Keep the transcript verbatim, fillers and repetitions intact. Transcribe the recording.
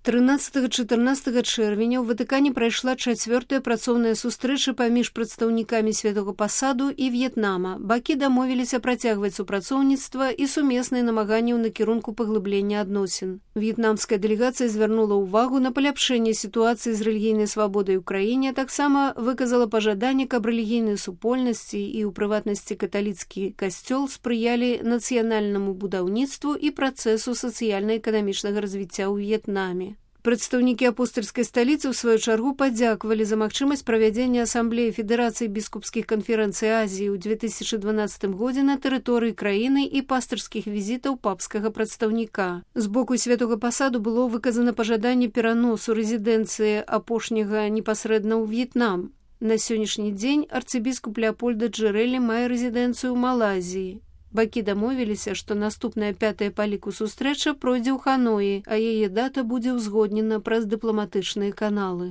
трынаццатага-чатырнаццатага чэрвеня ў Ватыкане прайшла чацвёртая працоўная сустрэча паміж прадстаўнікамі Святога Пасаду і В'етнама. Бакі дамовіліся працягваць супрацоўніцтва і сумесныя намаганні ў накірунку паглыблення адносін. В'етнамская дэлегацыя звярнула ўвагу на паляпшэнне сітуацыі з рэлігійнай свабодай у краіне, а таксама выказала пажаданне, каб рэлігійныя супольнасці і, у прыватнасці, каталіцкі касцёл спрыялі нацыянальнаму будаўніцтву і працэсу сацыяльна-эканамічнага развіцця ў В'етнаме. Прадстаўнікі апостальскай сталіцы ў сваю чаргу падзякавалі за магчымасць правядзення асамблеі Федэрацыі біскупскіх канферэнцый Азіі ў две тысячы дванаццатым годзе на тэрыторыі краіны і пастырскіх візітаў папскага прадстаўніка. З боку Святога Пасаду было выказана пажаданне пераносу рэзідэнцыі апошняга непасрэдна ў В'етнам. На сённяшні дзень арцыбіскуп Леапольда Джэрэлі мае рэзідэнцыю ў Малайзіі. Бакі дамовіліся, што наступная пятая па ліку сустрэча пройдзе ў Ханоі, а яе дата будзе ўзгоднена праз дыпламатычныя каналы.